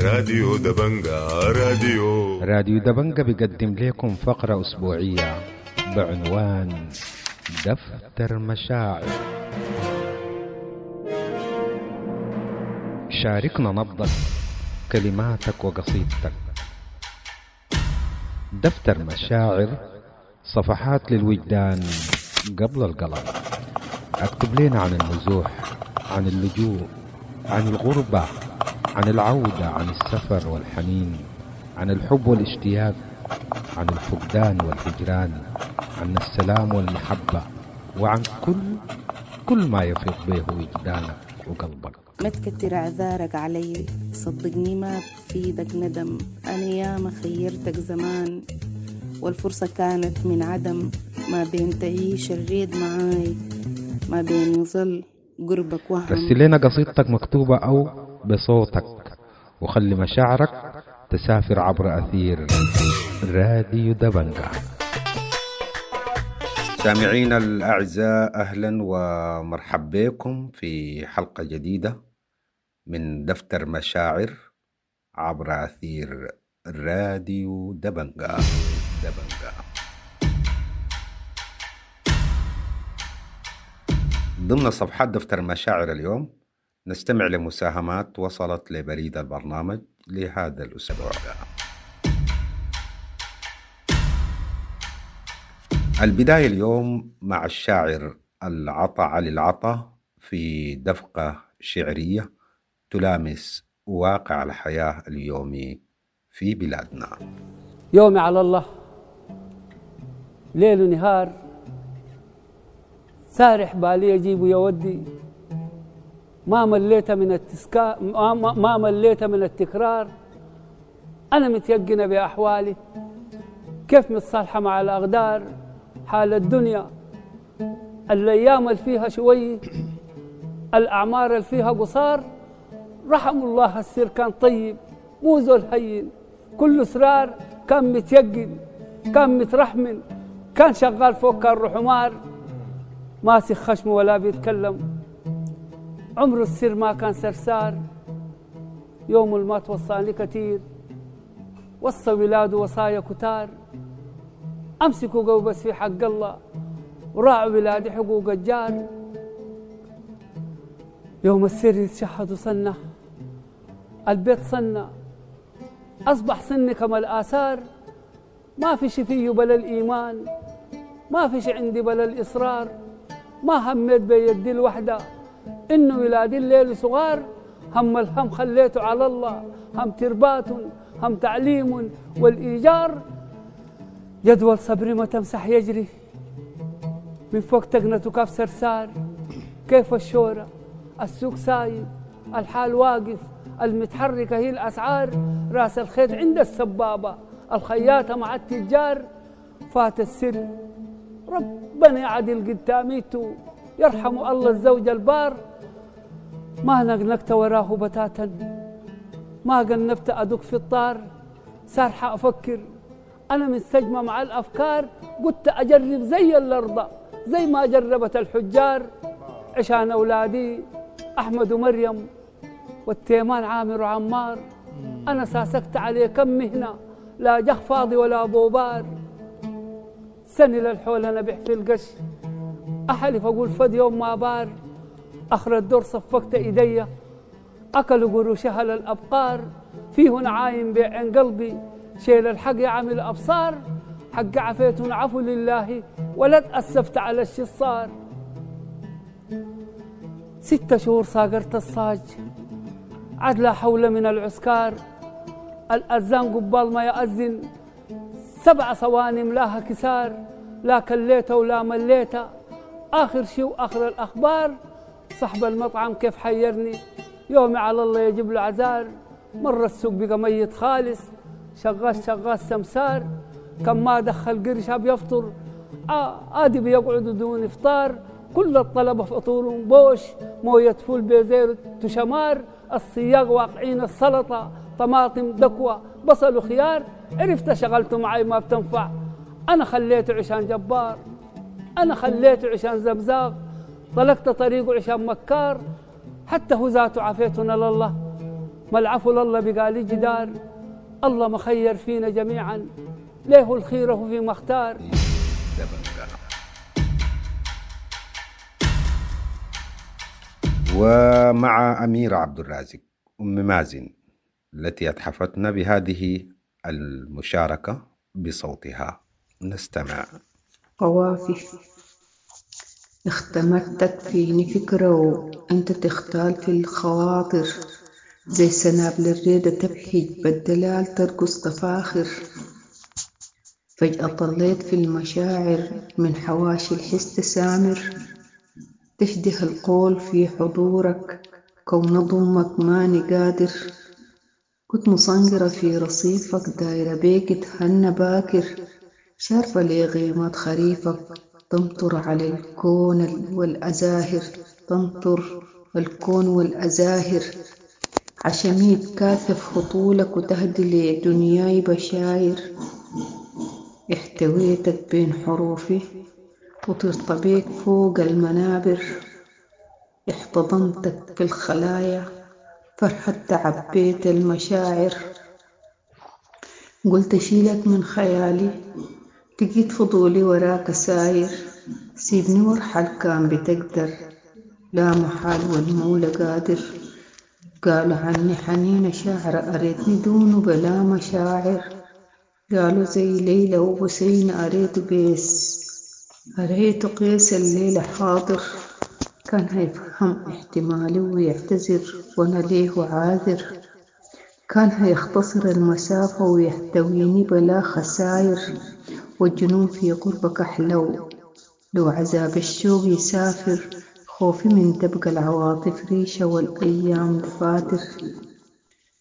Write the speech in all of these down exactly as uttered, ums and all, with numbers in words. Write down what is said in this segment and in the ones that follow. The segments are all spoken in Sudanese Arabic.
راديو دبنجا راديو راديو دبنجا بيقدم لكم فقرة أسبوعية بعنوان دفتر مشاعر. شاركنا نبضك، كلماتك وقصيدتك. دفتر مشاعر، صفحات للوجدان قبل القلم. اكتب لنا عن النزوح، عن اللجوء، عن الغربة، عن العودة، عن السفر والحنين، عن الحب والاشتياق، عن الفقدان والهجران، عن السلام والمحبة، وعن كل كل ما يفيض به وجدانك وقلبك. ما تكتر اعذارك علي، صدقني ما بفيدك ندم. انا ياما خيرتك زمان والفرصة كانت من عدم. ما بين تعيش الريد معاي، ما بين يظل قربك وهم. رسل لنا قصيدتك مكتوبة أو بصوتك، وخلي مشاعرك تسافر عبر أثير راديو دبنجا. سامعينا الأعزاء، أهلا ومرحبا بكم في حلقة جديدة من دفتر مشاعر عبر أثير راديو دبنجا. دبنجا. ضمن صفحات دفتر مشاعر اليوم نستمع لمساهمات وصلت لبريد البرنامج لهذا الأسبوع. البداية اليوم مع الشاعر العطا علي العطا في دفقة شعرية تلامس واقع الحياة اليومي في بلادنا. يومي على الله، ليل ونهار، سارح بالي يجيب ويودي. ما مليت من التسكا ما مليت من التكرار. أنا متيقنة بأحوالي، كيف متصالحة مع الأقدار. حال الدنيا، الأيام اللي فيها شوي، الأعمار اللي فيها قصار. رحم الله السر كان طيب، مو زول هين، كل سرار. كان متيقن، كان مترحمن، كان شغال فوق كان حمار. ماسك خشمه ولا بيتكلم، عمره السر ما كان سرسار. يوم ما توصاني كتير، وصى ولاده وصايا كتار. أمسكوا قوي بس في حق الله، وراعوا ولادي حقوق الجار. يوم السر يتشهد صنة، البيت صنة، أصبح سني كما الآثار. ما في شي فيه بلا الإيمان، ما في شي عندي بلا الإصرار. ما هميت بيدي الوحدة إنه ولادي الليل صغار. هم الهم خليته على الله، هم تربات، هم تعليم والإيجار. جدول صبري ما تمسح يجري من فوق تقنته كاف سرسار. كيف الشورى، السوق سايب، الحال واقف، المتحركة هي الأسعار. راس الخيط عند السبابة، الخياطة مع التجار. فات السر، ربنا يعدل قداميته، يرحم الله الزوج البار. ما نقنقت وراه بتاتا، ما قنبت أدق في الطار. سارحة أفكر أنا منسجمة مع الأفكار. قلت أجرب زي الأرض، زي ما جربت الحجار. عشان أولادي أحمد ومريم والتيمان عامر وعمار. أنا ساسكت عليه كم مهنة، لا جخ فاضي ولا بوبار. سنة للحول أنا بح في القش، أحلف أقول فد يوم ما بار. آخر الدور صفقت إيدي، أكلوا قروشها للأبقار. فيه نعايم بيع قلبي، شيل الحق يا عامل أبصار. حق عفيت عفو لله، ولا تأسفت على الشي صار. ستة شهور صاقرت الصاج، عاد لا حول من العسكار. الأذان قبال ما يأذن، سبع صواني ملاها كسار. لا كليته ولا مليته، آخر شي وآخر الأخبار. صاحب المطعم كيف حيرني، يومي على الله يجيب له عذار. مرة السوق بقى ميت خالص، شغال شغال سمسار. كم ما دخل قرشها بيفطر، آه آدي بيقعدوا دون إفطار. كل الطلبة فطورهم بوش، موية فول بزير تشمار. الصياغ واقعين السلطة، طماطم دكوة بصل وخيار. عرفت شغلته معي ما بتنفع، أنا خليته عشان جبار، أنا خليته عشان زبزاغ. طلقت طريقه عشان مكار، حتى هو ذاته عافيتنا لله. ما العفو لله بقالي جدار. الله مخير فينا جميعا، ليه الخيره فيما اختار. دبنجا. ومع أميرة عبد الرازق أم مازن التي أتحفتنا بهذه المشاركة بصوتها، نستمع. قوافي اختمرتك فيني فكرة وانت تختال في الخواطر، زي سنابل الريدة تبهج بالدلال ترقص تفاخر. فجأة طليت في المشاعر من حواشي الحس تسامر، تشده القول في حضورك كون ضمك ماني قادر. كنت مصنقرة في رصيفك دايرة بيك تهنى باكر، شارفة لي غيمات خريفك تمطر على الكون والأزاهر، تمطر الكون والأزاهر. عشمي تكاثف هطولك وتهدي لي دنياي بشاير، احتويتك بين حروفي وطرت بيك فوق المنابر. احتضنتك في الخلايا فرحة تعبيت المشاعر، قلت أشيلك من خيالي لقيت فضولي وراك ساير. سيبني وارحل كان بتقدر لا محال والمولى قادر. قالوا عني حنينة شاعرة أريتني دونه بلا مشاعر، قالوا زي ليلى وبسينة أريته قيس، أريته قيس الليلة حاضر. كان هيفهم احتمالي ويعتذر وأنا ليه عاذر، كان هيختصر المسافة ويحتويني بلا خساير. والجنون في قربك أحلو لو عذاب الشوق يسافر، خوفي من تبقى العواطف ريشة والأيام دفاتر.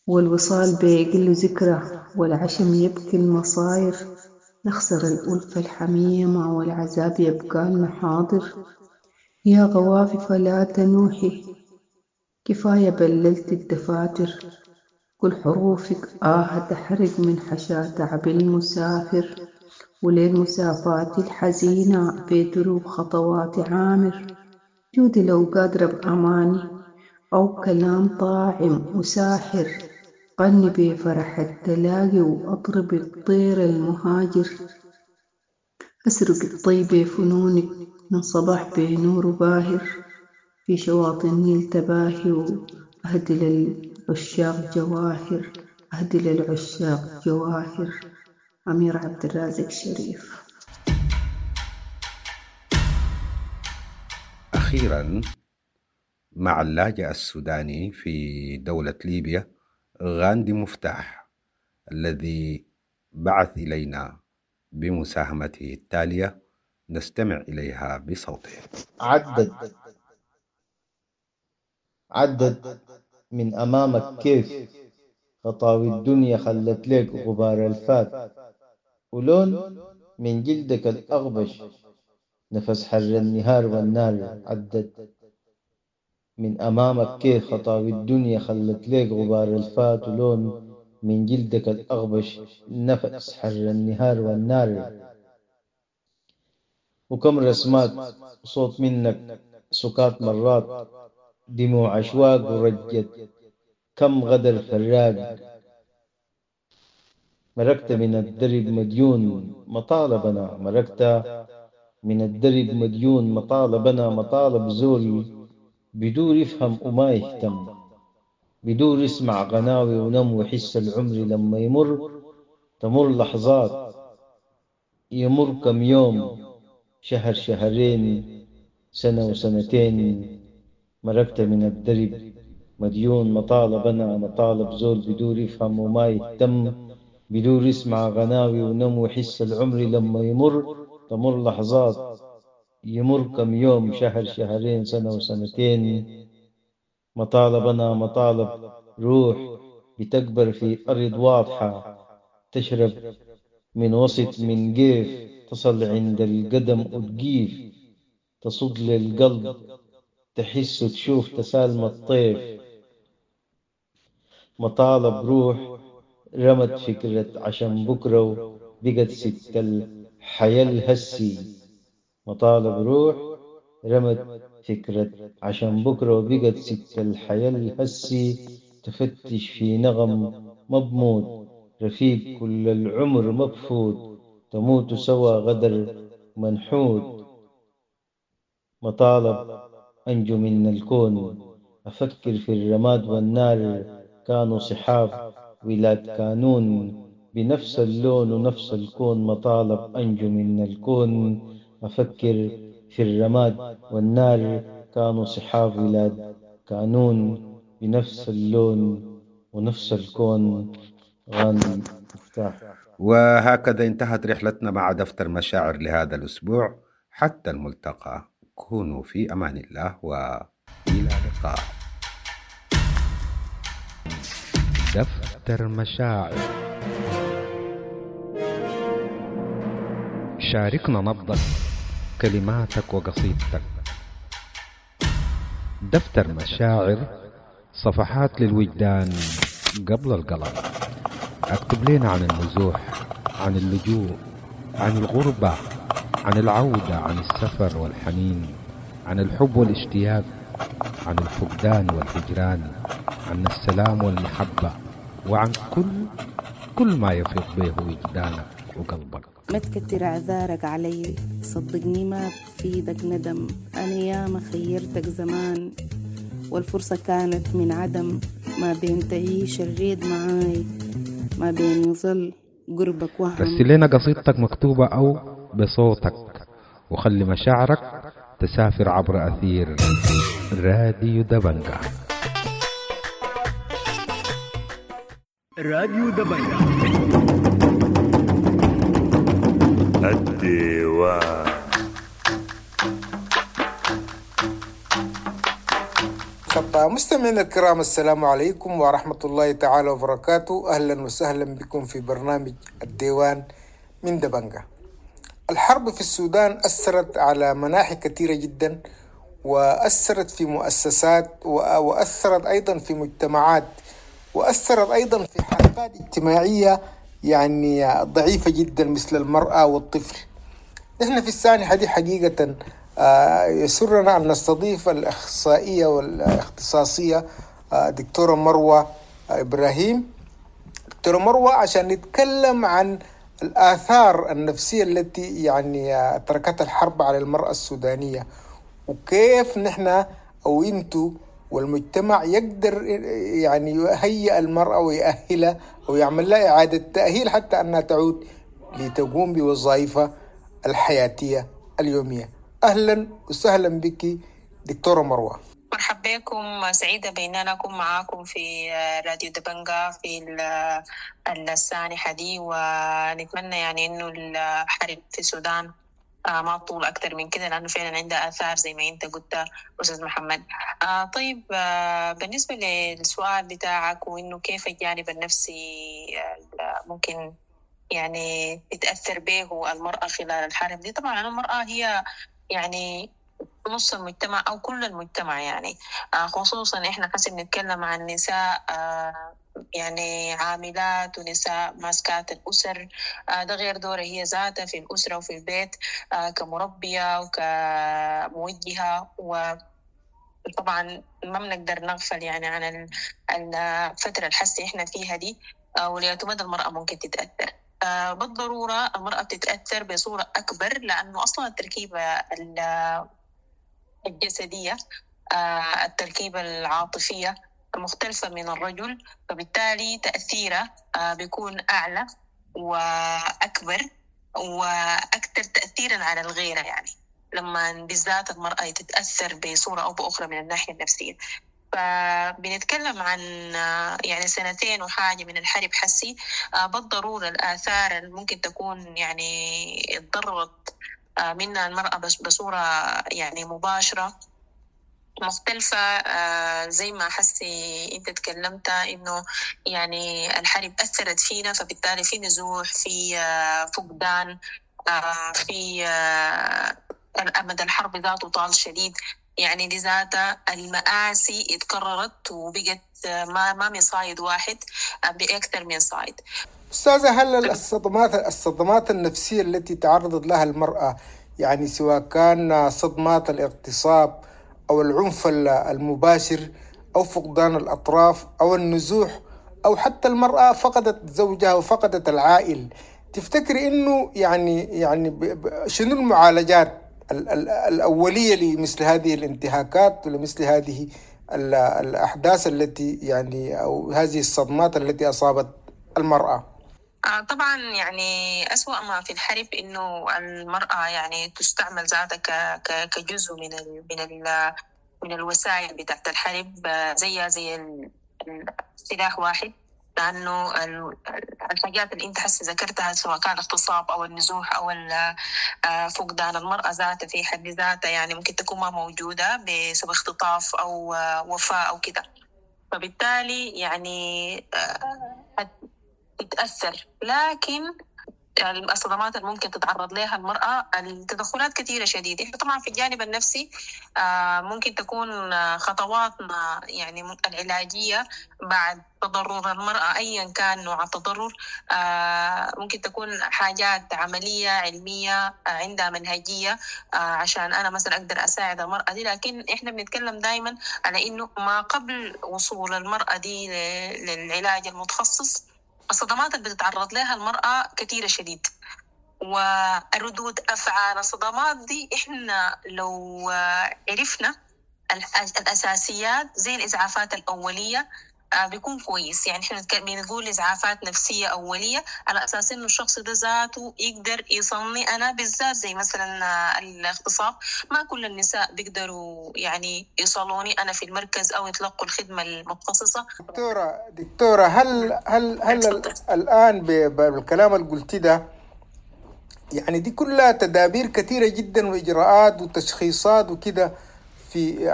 والوصال بيقل ذكرى والعشم يبكي المصاير، نخسر الألفة الحميمة والعذاب يبقى لنا حاضر. يا غوافي فلا تنوحي كفاية بللت الدفاتر، كل حروفك آه تحرق من حشا تعب المسافر. وليل مسافاتي الحزينة بدروب خطواتي عامر، جودي لو قادرة بأماني أو كلام طاعم وساحر. غني بفرح التلاقي وأطرب الطير المهاجر، أسرق الطيب فنونك من صباح بنور باهر. في شواطئ النيل تباهي وأهدي للعشاق جواهر، أهدي للعشاق جواهر. أمير عبد الرازق شريف. أخيرا مع اللاجئ السوداني في دولة ليبيا غاندي مفتاح الذي بعث إلينا بمساهمته التالية، نستمع إليها بصوته. عدد عدد من أمامك كيف خطاوي الدنيا خلت لك غبار الفات، ولون من جلدك الأغبش نفس حر النهار والنار. عدد من أمامك كيف خطاوي الدنيا خلت لك غبار الفات، ولون من جلدك الأغبش نفس حر النهار والنار. وكم رسمات صوت منك سكات مرات، دموع أشواق ورجت كم غدر فراق. مرقت من الدرب مديون مطالبنا، مرقت من الدرب مديون مطالبنا، مطالب زول بدور يفهم وما يهتم، بدور يسمع غناوي ونم وحس العمر لما يمر. تمر لحظات يمر كم يوم، شهر شهرين سنة وسنتين. مرقت من الدرب مديون مطالبنا، مطالب زول بدور يفهم وما يهتم، بدور يسمع غناوي ونم وحس العمر لما يمر. تمر لحظات يمر كم يوم، شهر شهرين سنة وسنتين. مطالبنا مطالب روح بتكبر في أرض واضحة، تشرب من وسط من جيف، تصل عند القدم وتجيف، تصد للقلب تحس وتشوف تسالم الطيف. مطالب روح رمت فكرة عشان بكرة وبقت ست الحياة الهسي. مطالب روح رمت فكرة عشان بكرة وبقت ست الحياة الهسي، تفتش في نغم ما بموت، رفيق كل العمر ما بفوت، تموت سوا غدر منحوت. مطالب أنجو من الكون، أفكر في الرماد والنار، كانوا صحاب ولاد كانون، بنفس اللون ونفس الكون. مطالب أنجو من الكون، أفكر في الرماد والنار، كانوا صحاب ولاد كانون، بنفس اللون ونفس الكون. غاندي مفتاح. وهكذا انتهت رحلتنا مع دفتر مشاعر لهذا الأسبوع. حتى الملتقى، كونوا في أمان الله وإلى اللقاء. دفتر مشاعر، شاركنا نبضك، كلماتك وقصيدتك. دفتر مشاعر، صفحات للوجدان قبل القلم. اكتب لنا عن النزوح، عن اللجوء، عن الغربة، عن العودة، عن السفر والحنين، عن الحب والاشتياق، عن الفقدان والهجران، عن السلام والمحبة، وعن كل كل ما يفيض به وجدانك وقلبك. ما تكتر اعذارك علي، صدقني ما بفيدك ندم. انا ياما خيرتك زمان والفرصة كانت من عدم، ما بين تعيش الريد معاي، ما بين يظل قربك وهم. رسل لنا قصيدتك مكتوبة أو بصوتك، وخلي مشاعرك تسافر عبر أثير راديو دبنجة. راديو دبنجة الديوان. مستمعينا الكرام، السلام عليكم ورحمة الله تعالى وبركاته. أهلا وسهلا بكم في برنامج الديوان من دبنجة. الحرب في السودان أثرت على مناحي كثيرة جدا، وأثرت في مؤسسات، وأثرت أيضا في مجتمعات، وأثرت أيضا في حالات اجتماعية يعني ضعيفة جدا مثل المرأة والطفل. نحن في السانحة دي حقيقة يسرنا أن نستضيف الأخصائية والاختصاصية دكتورة مروة إبراهيم. دكتورة مروة، عشان نتكلم عن الآثار النفسية التي يعني تركتها الحرب على المرأة السودانية، وكيف نحن أو أنتو والمجتمع يقدر يعني يهيئ المرأة ويأهلها أو يعمل لها إعادة تأهيل حتى أنها تعود لتقوم بوظائفها الحياتية اليومية. أهلا وسهلا بك دكتورة مروة. مرحبا بكم، سعيدة بأن أكون معاكم في راديو دبنجة في السانحة دي، ونتمنى يعني إنه الحرب في السودان ما تطول أكثر من كده، لأنه فعلا عندها آثار زي ما أنت قلت أستاذ محمد. طيب، بالنسبة للسؤال بتاعك وإنه كيف الجانب النفسي ممكن يعني تتأثر به المرأة خلال الحرب دي، طبعا المرأة هي يعني نص المجتمع أو كل المجتمع، يعني خصوصا إحنا حسب نتكلم عن نساء يعني عاملات ونساء ماسكات الأسر، ده غير دورها هي ذاتها في الأسرة وفي البيت كمربية وكموجهة. وطبعا ما بنقدر نغفل يعني عن الفترة الحساسة إحنا فيها دي، ولأتمدى المرأة ممكن تتأثر. بالضرورة المرأة بتتأثر بصورة أكبر، لأنه أصلا التركيبة الجسدية، التركيبة العاطفية مختلفة من الرجل، فبالتالي تأثيره بيكون أعلى وأكبر وأكثر تأثيرا على الغيرة، يعني لما بالذات المرأة تتأثر بصورة أو بأخرى من الناحية النفسية. فبنتكلم عن يعني سنتين وحاجة من الحرب حسي، بالضرورة الآثار اللي ممكن تكون يعني اتضررت منها المرأة بصورة يعني مباشرة مختلفة، زي ما حسي انت تكلمت انه يعني الحرب أثرت فينا، فبالتالي في نزوح، في فقدان، في أمد الحرب ذاته طال شديد، يعني دي ذاتها المآسي اتكررت وبقت ما ما من صايد واحد، بأكثر من صايد. أستاذة، هل الصدمات الصدمات النفسية التي تعرضت لها المرأة، يعني سواء كان صدمات الاغتصاب أو العنف المباشر أو فقدان الأطراف أو النزوح، أو حتى المرأة فقدت زوجها وفقدت العائل. تفتكري إنه يعني يعني شنو المعالجات الأولية لمثل هذه الانتهاكات ولمثل هذه الأحداث التي يعني أو هذه الصدمات التي أصابت المرأة؟ طبعا يعني أسوأ ما في الحرب إنه المرأة يعني تستعمل ذاتها كجزء من ال من ال من الوسائل بتاعت الحرب، زيها زي السلاح واحد، لأنه الحاجات اللي أنت حسي ذكرتها سواء كان الاغتصاب أو النزوح أو فقدان المرأة ذاتها في حد ذاتها يعني ممكن تكون ما موجودة بسبب اختطاف أو وفاة أو كده، فبالتالي يعني تتأثر. لكن الصدمات اللي ممكن تتعرض لها المرأة التدخلات كثيرة شديدة. طبعا في الجانب النفسي ممكن تكون خطواتنا يعني العلاجية بعد تضرر المرأة أيا كان نوع التضرر، ممكن تكون حاجات عملية علمية عندها منهجية عشان أنا مثلا أقدر أساعد المرأة دي. لكن إحنا بنتكلم دايما على إنه ما قبل وصول المرأة دي للعلاج المتخصص الصدمات اللي بتتعرض لها المرأة كثيرة شديد، والردود أفعال الصدمات دي إحنا لو عرفنا الأساسيات زي الإسعافات الأولية بيكون كويس. يعني إحنا بنقول إسعافات نفسية أولية على أساس إنه الشخص ده ذاته يقدر يصلني أنا بالذات، زي مثلا الاغتصاب ما كل النساء بيقدروا يعني يصلوني أنا في المركز أو يتلقوا الخدمة المتخصصة. دكتورة دكتورة هل هل هل الآن بالكلام اللي قلتي ده يعني دي كلها تدابير كثيرة جدا وإجراءات وتشخيصات وكده، في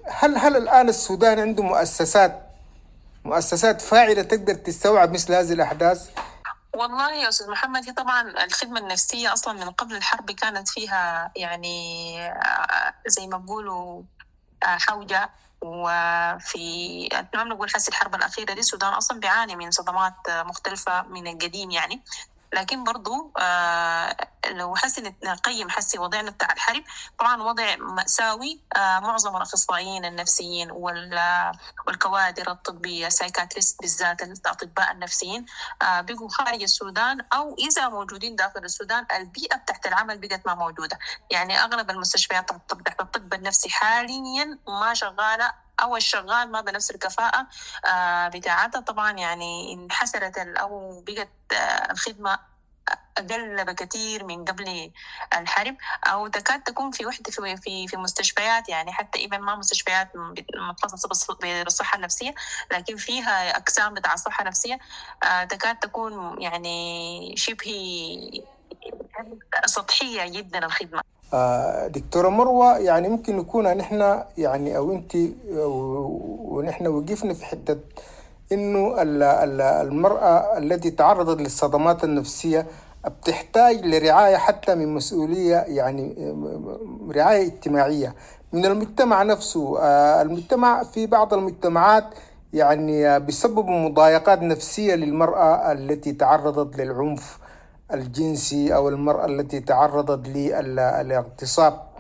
هل هل الآن السودان عنده مؤسسات مؤسسات فاعلة تقدر تستوعب مثل هذه الأحداث؟ والله يا أستاذ محمد، هي طبعا الخدمة النفسية أصلا من قبل الحرب كانت فيها يعني زي ما بيقولوا حوجة، وفي ما بنقول حس الحرب الأخيرة دي السودان أصلا بيعاني من صدمات مختلفة من القديم يعني. لكن برضو آه لو حسي نقيم حسي وضعنا بتاع الحرب، طبعا وضع مأساوي. آه معظم الأخصائيين النفسيين والكوادر الطبية psychiatrist بالذات الأطباء النفسيين آه بقوا خارج السودان، أو إذا موجودين داخل السودان البيئة بتاعت العمل بقت ما موجودة. يعني أغلب المستشفيات تحت الطب النفسي حاليا ما شغالة، أو الشغال ما بنفس الكفاءة آه بتاعتها. طبعا يعني انحسرت أو بقت آه الخدمة أقل بكثير من قبل الحرب، أو تكاد تكون في وحدة في في في مستشفيات، يعني حتى إذا ما مستشفيات متخصصة بالصحة النفسية لكن فيها أقسام بتاع الصحة النفسية آه تكاد تكون يعني شبه سطحية جدا الخدمة. دكتورة مروة، يعني ممكن نكون نحن يعني أو أنت ونحن وقفنا في حتة إنه المرأة التي تعرضت للصدمات النفسية بتحتاج لرعاية حتى من مسؤولية، يعني رعاية اجتماعية من المجتمع نفسه. المجتمع في بعض المجتمعات يعني بيسببوا مضايقات نفسية للمرأة التي تعرضت للعنف الجنسي أو المرأة التي تعرضت للاغتصاب.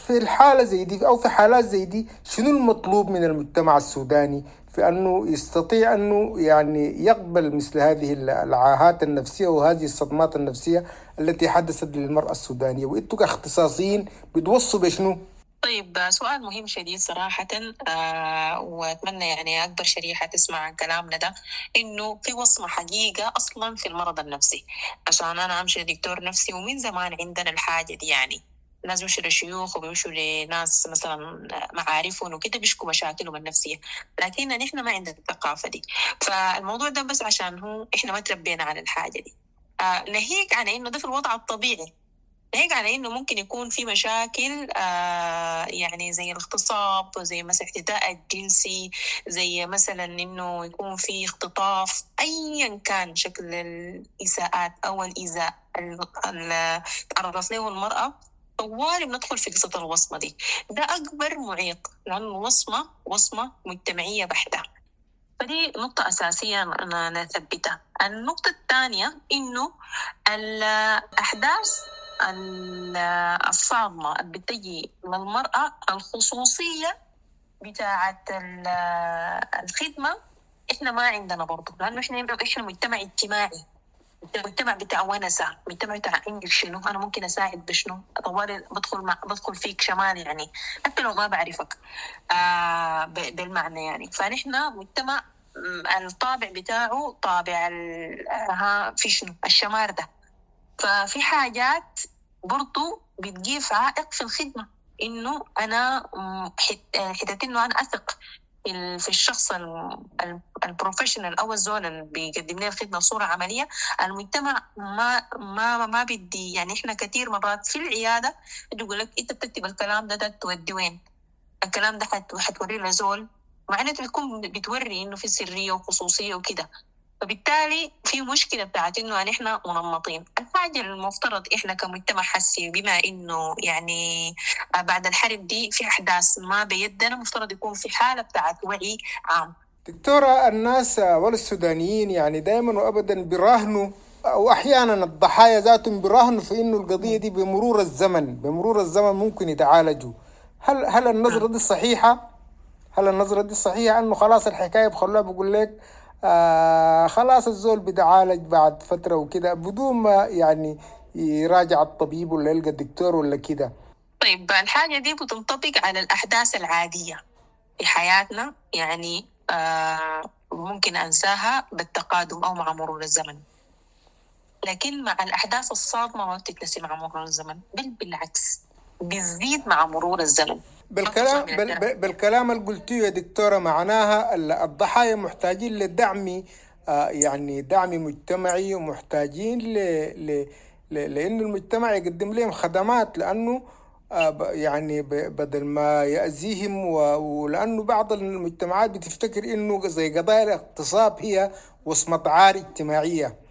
في الحالة زي دي أو في حالات زي دي شنو المطلوب من المجتمع السوداني في أنه يستطيع أنه يعني يقبل مثل هذه العاهات النفسية وهذه الصدمات النفسية التي حدثت للمرأة السودانية؟ وإنتوا كاختصاصيين بتوصوا بشنو؟ طيب، سؤال مهم شديد صراحة، آه وأتمنى يعني أكبر شريحة تسمع كلامنا ده، إنه في وصمة حقيقة أصلا في المرض النفسي. عشان أنا أمشي لدكتور نفسي، ومن زمان عندنا الحاجة دي، يعني ناس بيمشوا لشيوخ وبيمشوا لناس مثلا معارفهم وكده بيشكوا مشاكلهم النفسية، لكن نحن ما عندنا الثقافة دي. فالموضوع ده بس عشان هو إحنا ما تربينا على الحاجة دي. آه ناهيك عن إنه ده في الوضع الطبيعي، ناهيك على إنه ممكن يكون في مشاكل آه يعني زي الاغتصاب، زي مثلا الاعتداء الجنسي، زي مثلا إنه يكون في اختطاف، أيا كان شكل الإساءات أو الإيذاء اللي تعرضت له المرأة، طوالي بندخل في قصة الوصمة دي. ده أكبر معيق، لأن الوصمة وصمة مجتمعية بحتة. فدي نقطة أساسية نثبتها. النقطة الثانية إنه الأحداث الصادمة اللي بتجي للمرأة، الخصوصية بتاعة ال- الخدمة احنا ما عندنا برضه، لأنه احنا احنا مجتمع اجتماعي، مجتمع بتاع ونسة، مجتمع بتاع عندك شنو أنا ممكن أساعد بشنو، طوالي بدخل مع بدخل فيك شمال يعني حتى لو ما بعرفك آه ب- بالمعنى يعني. فنحن مجتمع م، الطابع بتاعه طابع ال- ها في شنو الشمار ده. ففي حاجات برضو بتجيب عائق في الخدمة، إنه أنا م، حت- حتة إنه أنا أثق في ال- في الشخص ال- ال- ال professional أو الزول اللي بيقدم لي الخدمة بصورة عملية. المجتمع ما ما ما بدي يعني، إحنا كثير مرات في العيادة يقول لك أنت بتكتب الكلام ده، ده تودي وين؟ الكلام ده حت- حتوريه لزول، مع إنه بتكون بتوري إنه في سرية وخصوصية وكده. فبالتالي في مشكلة بتاعت إنه نحن منمطين. الحاجة المفترض إحنا كمجتمع حسي، بما إنه يعني بعد الحرب دي في أحداث ما بيدنا، مفترض يكون في حالة بتاعت وعي عام. دكتورة، الناس والسودانيين يعني دائما وابدا بيراهنوا، او احيانا الضحايا ذاتهم بيراهنوا في انه القضية دي بمرور الزمن، بمرور الزمن ممكن يتعالجوا. هل هل النظرة دي صحيحة؟ هل النظرة دي صحيحة انه خلاص الحكاية بخلوها بقول لك آه خلاص الزول بيتعالج بعد فترة وكده بدون ما يعني يراجع الطبيب ولا يلقى الدكتور ولا كده؟ طيب الحاجة دي بتنطبق على الأحداث العادية في حياتنا، يعني آه ممكن أنساها بالتقادم أو مع مرور الزمن، لكن مع الأحداث الصادمة ما بتتنسي مع مرور الزمن، بل بالعكس بتزيد مع مرور الزمن. بالكلام بال بال- بالكلام اللي قلتيه يا دكتورة معناها ال- الضحايا محتاجين لدعم، آه، يعني دعم مجتمعي، ومحتاجين ل ل ل لأنه المجتمع يقدم لهم خدمات، لأنه آه، ب- يعني ب- بدل ما يأذيهم و- ولأنه بعض المجتمعات بتفتكر إنه زي قضايا الاغتصاب هي وصمة عار اجتماعية.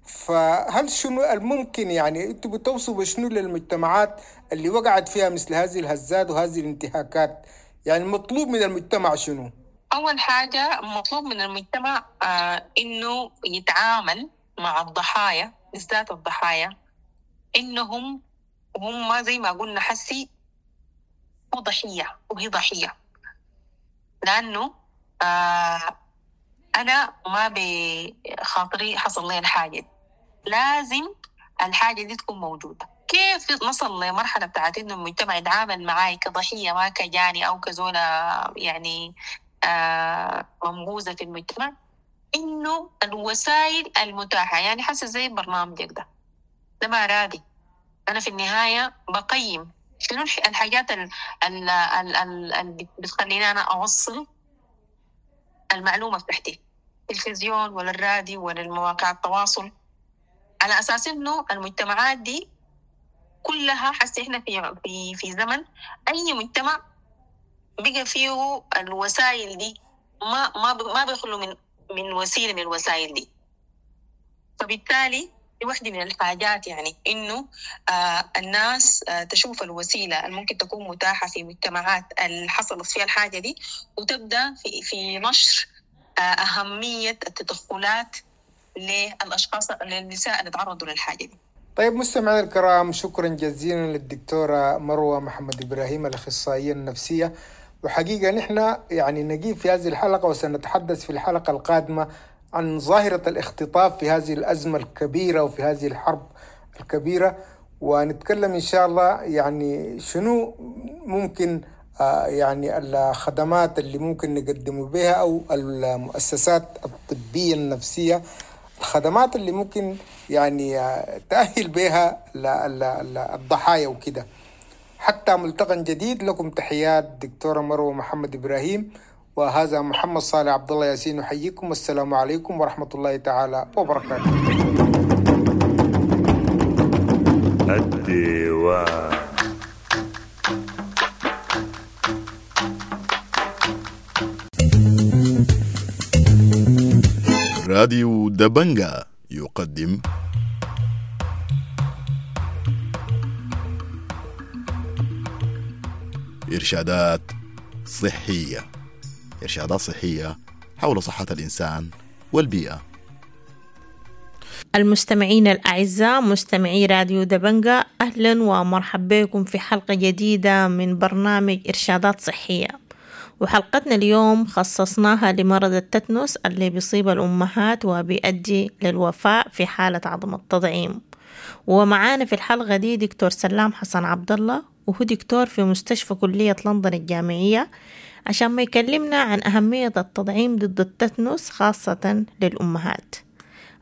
فهل شنو الممكن يعني انتوا بتوصوا بشنو للمجتمعات اللي وقعت فيها مثل هذه الهزات وهذه الانتهاكات؟ يعني المطلوب من المجتمع شنو؟ أول حاجة مطلوب من المجتمع آه إنه يتعامل مع الضحايا، بالذات الضحايا، إنهم هم زي ما قلنا حسي هو ضحية وهي ضحية، لأنه آه أنا ما بخاطري حصل لي الحاجة دي. لازم الحاجة دي تكون موجودة. كيف نصل لمرحلة بتاعت إنه المجتمع يتعامل معاي كضحية ما كجاني أو كزولة يعني آه منبوذة في المجتمع؟ إنه الوسائل المتاحة، يعني حاسة زي برنامجك ده، ده ما رادي. أنا في النهاية بقيم شنو الح- الحاجات اللي ال ال ال ال بتخليني أنا أوصل المعلومة بتاعتي، التلفزيون ولا الراديو ولا المواقع التواصل، على أساس إنه المجتمعات دي كلها حاسة إحنا في في في زمن أي مجتمع بقى فيه الوسائل دي ما ما ما بيخلو من من وسيلة من الوسائل دي. فبالتالي دي واحدة من الحاجات، يعني إنه آه الناس آه تشوف الوسيلة اللي ممكن تكون متاحة في مجتمعات اللي حصلت فيها الحاجة دي، وتبدأ في في نشر آه أهمية التدخلات للأشخاص للنساء اللي تعرضوا للحاجة دي. طيب مستمعينا الكرام، شكرا جزيلا للدكتورة مروة محمد إبراهيم الأخصائية النفسية. وحقيقة نحن يعني نجيب في هذه الحلقة، وسنتحدث في الحلقة القادمة عن ظاهرة الاختطاف في هذه الأزمة الكبيرة وفي هذه الحرب الكبيرة، ونتكلم إن شاء الله يعني شنو ممكن آه، يعني الخدمات اللي ممكن نقدم بها، أو المؤسسات الطبية النفسية، الخدمات اللي ممكن يعني آه، تأهل بها ال- ال- ال- الضحايا وكده. حتى ملتقى جديد، لكم تحيات دكتورة مروة محمد إبراهيم، وهذا محمد صالح عبد الله ياسين يحييكم، والسلام عليكم ورحمة الله تعالى وبركاته. الديوان. راديو دبنجا يقدم إرشادات صحية. إرشادات صحية حول صحة الإنسان والبيئة. المستمعين الأعزاء مستمعي راديو دبنجا، أهلا ومرحبا بكم في حلقة جديدة من برنامج إرشادات صحية. وحلقتنا اليوم خصصناها لمرض التتنس اللي بيصيب الأمهات وبيؤدي للوفاة في حالة عدم التطعيم. ومعانا في الحلقة دي دكتور سلام حسن عبد الله، وهو دكتور في مستشفى كلية لندن الجامعية، عشان ما يكلمنا عن أهمية التطعيم ضد التتنس خاصة للأمهات.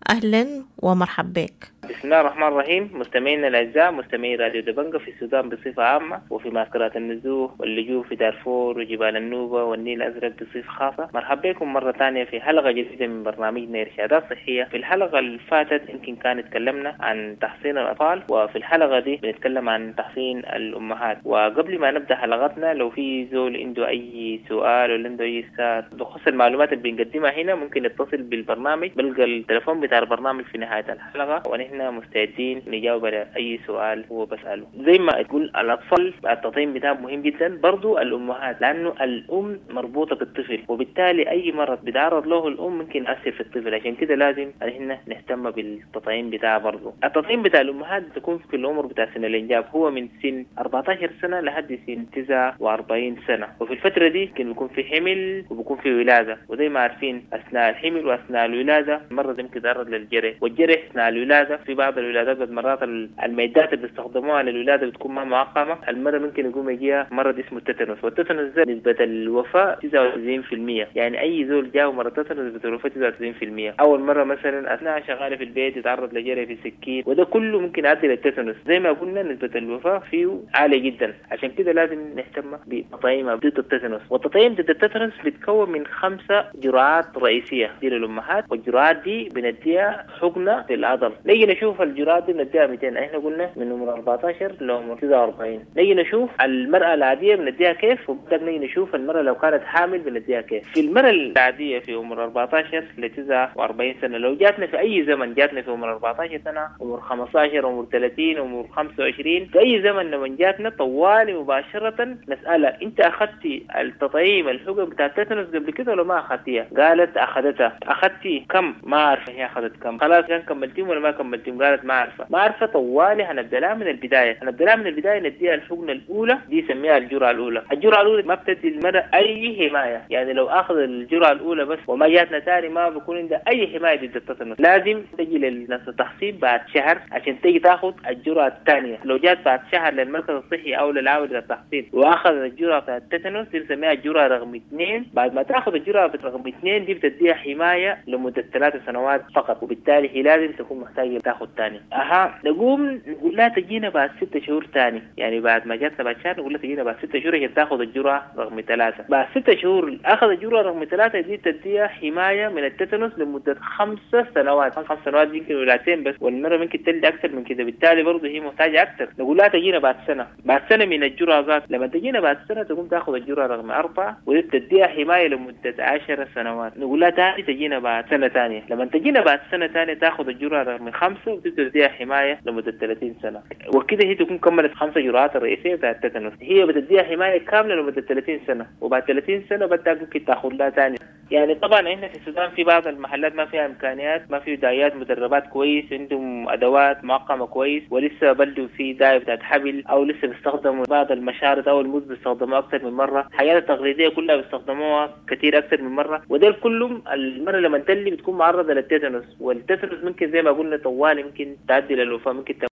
أهلا ومرحبا بك. بسم الله الرحمن الرحيم. مستمعينا الاعزاء، مستمعي راديو دبنجة في السودان بصفة عامة، وفي معسكرات النزوح واللجوء في دارفور وجبال النوبة والنيل الازرق بصفة خاصة، مرحبا بكم مرة ثانية في حلقة جديدة من برنامجنا ارشادات صحية. في الحلقة اللي فاتت يمكن كان تكلمنا عن تحصين الاطفال، وفي الحلقة دي بنتكلم عن تحصين الامهات. وقبل ما نبدا حلقتنا، لو في زول عنده اي سؤال ولا عنده اي استفسار بخصوص المعلومات اللي بنقدمها هنا، ممكن يتصل بالبرنامج، بلقى التليفون بتاع البرنامج في نهاية الحلقة، ونحن مستعدين نجاوب على اي سؤال هو بسأله. زي ما تقول الاطفال التطعيم بتاعهم مهم جدا، برضو الامهات، لانه الام مربوطة بالطفل، وبالتالي اي مرض بيتعرض له الام ممكن ياثر في الطفل، عشان كده لازم احنا نهتم بالتطعيم بتاعه. برضو التطعيم بتاع الامهات بيكون في العمر بتاع سن الانجاب، هو من سن أربعتاشر سنة لحد سن تسعة وأربعين سنة، وفي الفترة دي ممكن بيكون في حمل وبيكون في ولاده، وزي ما عارفين اثناء الحمل واثناء الولادة المرض ممكن يتعرض للجرح، والجرح اثناء الولادة في بعض الولادات مرات المعدات اللي بيستخدموها للولاده بتكون ما معقمه، المرة ممكن يقوم يجيها مرض اسمه التتنس، والتتنس ده نسبه الوفاة تسعة وتسعين بالمية، يعني اي زول جاه مرض التتنس نسبه الوفاة تسعة وتسعين بالمية. اول مرة مثلا اثناء شغالة في البيت يتعرض لجرح في سكين، وده كله ممكن يؤدي للتتنس. زي ما قلنا نسبه الوفاة فيه عالية جدا، عشان كده لازم نهتم بتطعيم ضد التتنس. والتطعيم ضد التتنس بيتكون من خمسة جرعات رئيسية دي للامهات، والجرعات دي بنديها حقنه في العضل. نيجي نشوف الجرعات دي بنديها مئتين، احنا قلنا من عمر أربعتاشر لعمر تسعة وأربعين. نيجي نشوف المرأة العادية بنديها كيف، وبعدين نيجي نشوف المرأة لو كانت حامل بنديها كيف. في المرأة العادية في عمر أربعتاشر ل تسعة وأربعين سنة، لو جاتنا في أي زمن، جاتنا في عمر أربعتاشر سنة، عمر خمستاشر، عمر ثلاثين، عمر خمسة وعشرين، في أي زمن لما جاتنا طوالي مباشرة نسألها أنت أخذتي التطعيم الحقن بتاع التتنس قبل كده ولا ما أخذتيها؟ قالت أخذتها. أخذتي كم؟ ما عارفة هي أخذت كم. خلاص كان كملتيهم ولا ما كملتيهم؟ قالت ما عارفه. ما عارفه. طوالي هنبدا لها من البداية، هنبدا لها من البداية نديها الحقنة الاولى، دي يسميها الجرعة الاولى. الجرعة الاولى ما بتدي المرأة اي حماية، يعني لو اخذ الجرعة الاولى بس وما جاتنا ثاني ما بيكون عندها اي حماية ضد التتنس. لازم تجي للناس التحصين بعد شهر عشان تيجي تاخذ الجرعة الثانية. لو جات بعد شهر للمركز الصحي او للعاوله التحصين واخذ الجرعة بتاعت التتنس، دي بنسميها الجرعة رقم اثنين. بعد ما تاخذ الجرعة رقم اثنين دي بتديها حماية لمدة ثلاث سنوات فقط، وبالتالي هي لازم تكون محتاجه تاخذ ثاني. اها نقوم نقول لها تجينا بعد ستة شهور ثاني، يعني بعد ما جاتنا بعد شهر نقول لها تجينا بعد ستة شهور عشان تاخذ الجرعة رقم ثلاثة. بعد ستة شهور اخذ الجرعة رقم ثلاثة دي تديها حماية من التتنس لمدة خمسة سنوات، خمس سنوات يمكن ولادتين بس، والمرة ممكن تلد اكثر من كده، بالتالي برضه هي محتاجه اكثر. نقول لها تجينا بعد سنة، بعد سنة من الجرعة ذات، لما تجينا بعد سنة تقوم تاخذ الجرعة رقم اربعة ودي تديها حماية لمدة عشر سنوات. نقول لها ثاني تجينا بعد سنة ثانية، لما تجينا بعد سنة ثانية تاخذ الجرعة رقم خمسة وتبدا تديها حماية لمدة ثلاثين سنة، وكده هي تكون كملت خمسة جرعات الرئيسية بتاعت التتنس. هي بتديها حماية كاملة لمدة ثلاثين سنة، وبعد ثلاثين سنة بدها ممكن تاخذ لها ثاني. يعني طبعا احنا في السودان في بعض المحلات ما فيها امكانيات، ما في دايات مدربات كويس، عندهم ادوات معقمه كويس، ولسه بلدوا في دايه بتاعت حبل، او لسه بيستخدموا بعض المشارط او الموز بيستخدموها اكثر من مرة، الحاجات التقليدية كلها بيستخدموها كثير اكثر من مرة، وده كلهم المرة لما تلي بتكون معرضه للتتنس، والتتنس ممكن زي ما قلنا طوال ممكن تعدي للوفاه، ممكن تم...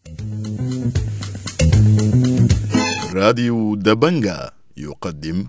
راديو دبنجا يقدم